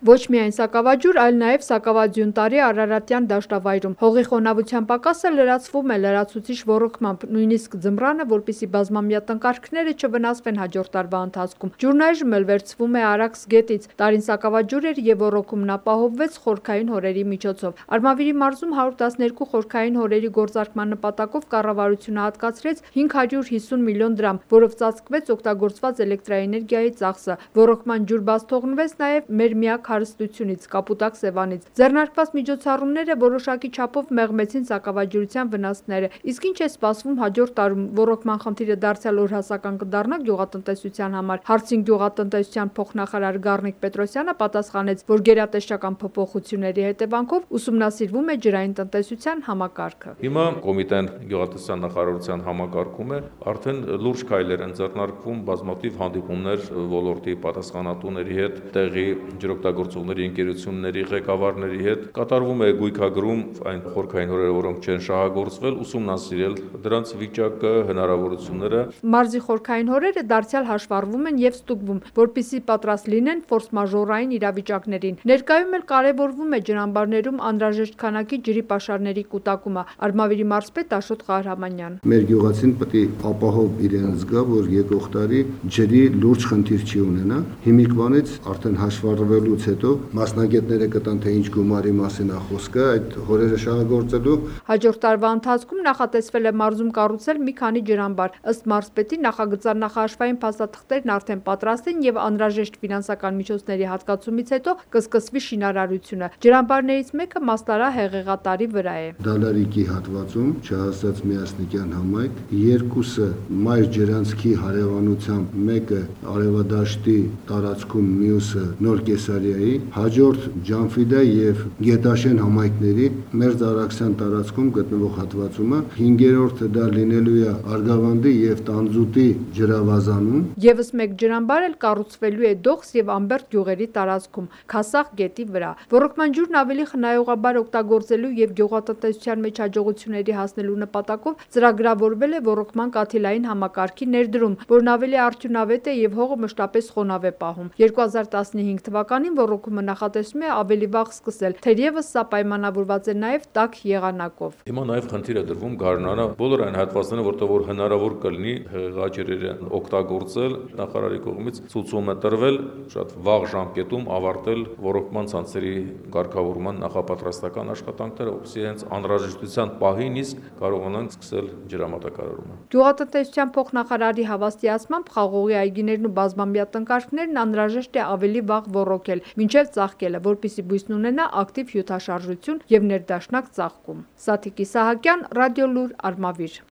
Ոչ միայն սակավաջուր, այլ նաև Սակավաձյունտարի Արարատյան դաշտավայրում։ Հողի խոնավության պակասը լրացվում է լրացուցիչ ոռոգմամբ, նույնիսկ ձմռանը, որպեսզի բազմամյա տնկարկները չվնասվեն հաջորդ տարվա ընթացքում։ Ջուրն այժմ էլ վերցվում է Արաքս գետից։ Տարին սակավաջուր էր և ոռոգումն ապահովվեց խորքային հորերի միջոցով։ Արմավիրի մարզում 112 խորքային հորերի գործարկման նպատակով կառավարությունը հատկացրեց 550 միլիոն դրամ, որով ծածկվեց օգտագործված էլեկտրաէներգիայի ծախսը։ Ոռոգման ջուր բաց թողնվեց նաև մեր միակ հարստությունից՝ Կապուտակ Սևանից։ Ձեռնարկված միջոցառումները որոշակի չափով մեղմեցին սակավաջուրության վնասները։ Իսկ ինչ է սպասվում հաջորդ տարում։ Ոռոգման խնդիրը դարձյալ օրհասական կդառնա գյուղատնտեսության համար։ Հարցին գյուղատնտեսության փոխնախարար Գառնիկ Պետրոսյանը պատասխանեց, որ գերատեսչական փոփոխությունների հետևանքով ուսումնասիրվում է ջրային տնտեսության համակարգը։ Հիմա կոմիտեն գյուղատնտեսության նախարարության համակարգում է, արդեն լուրջ քայլեր են ձեռնարկվում, բազմաթիվ հանդիպումներ ոլորտի պատասխանատուների հետ, տեղի ջրօգտագործողների ընկերությունների ղեկավարների հետ, կատարվում է գույքագրում այն խորքային հորերը, որոնք չեն շահագործվել, ուսումնասիրել դրանց վիճակը, հնարավորությունները։ Մարզի խորքային հորերը դարձյալ հաշվառվում են և ստուգվում, որպեսզի պատրաստ լինեն ֆորսմաժորային իրավիճակներին։ Ներկայում էլ կարևորվում է ջրամբարներում անհրաժեշտ քանակի ջրի պաշարների կուտակումը։ Արմավիրի մարզպետ Աշոտ Ղահրամանյան։ Մեր գյուղացին պետք է ապահով իրեն զգա, որ եկող տարի ջրի լուրջ խնդիր չի ունենա։ Հիմիկվանից արդեն հաշվառվելուց հետո մասնագետները կտան, թե ինչ գումարի մասին է խոսքը այդ հորերը շահագործելու։ Հաջորդ տարվա ընթացքում նախատեսվել է մարզում կառուցել մի քանի ջրամբար։ Ըստ մարզպետի, նախագծար նախահաշվային փաստաթղթերն արդեն պատրաստ են և անհրաժեշտ ֆինանսական միջոցների հատկացումից հետո կսկսվի շինարարությունը։ Ջրամբարներից մեկը Մասնարա Հեղեղատարի վրա է։ Դալարիկի հատվածում Չհասած Միասնիկյան համայնք, երկուսը մայր ջրանցքի հարևանությամբ, մեկը Արևադաշտի տարածքում, մյուսը Նոր Կեսարիայի, հաջորդ Ջանֆիդա և Գետաշեն համայնքների Մերձարաքսյան տարածքում գտնվող հատվածումը, 5-րդը դա լինելու է Արգավանդի և Տանձուտի ջրավազանում։ Եվս մեկ ջրամբար էլ կառուցվելու է Դողս և Ամբերդ գյուղերի տարածքում, Քասախ գետի վրա։ Ոռոգման ջուրն ավելի խնայողաբար օգտագործելու և գյուղատնտեսության մեջ հաջողությունների հասնելու նպատակով ծրագրավորվել է ոռոգման կաթիլային համակարգի ներդրում, որն ավելի արդյունավետ է և հողը մշտապես խոնավ է պահում։ 2015 թվականին ոռոգումը նախատեսվում է ավելի վաղ սկսել, թերևս սա պայմանավորված է նաև տաք եղանակով։ Հիմա նաև խնդիր է դրվում գարնանը բոլոր այն հատվածները, որտեղ որ հնարավոր կլինի հեղեղաջրերը օգտագործել, նախարարի կողմից ցուցում է տրվել շատ վաղ ժամկետում ավարտել ոռոգման ցանցերի կարգավորման նախապատրաստական աշխատանքները, որպեսզի հենց անհրաժեշտության պահին իսկ կարողանանք սկսել ջրամատակարարումը։ Գյուղատնտեսության փոխնախարարի հավաստիացմամբ խաղողի այգիներն ու բազմամյա տնկարկներն անհրաժեշտ է ավելի վաղ ոռոգել, մինչև ծաղկելը, որպեսզի բույսն ունենա ակտիվ հյութաշարժություն և ներդաշնակ ծաղկում։ Սաթիկ Իսահակյան, Ռադիոլուր, Արմավիր։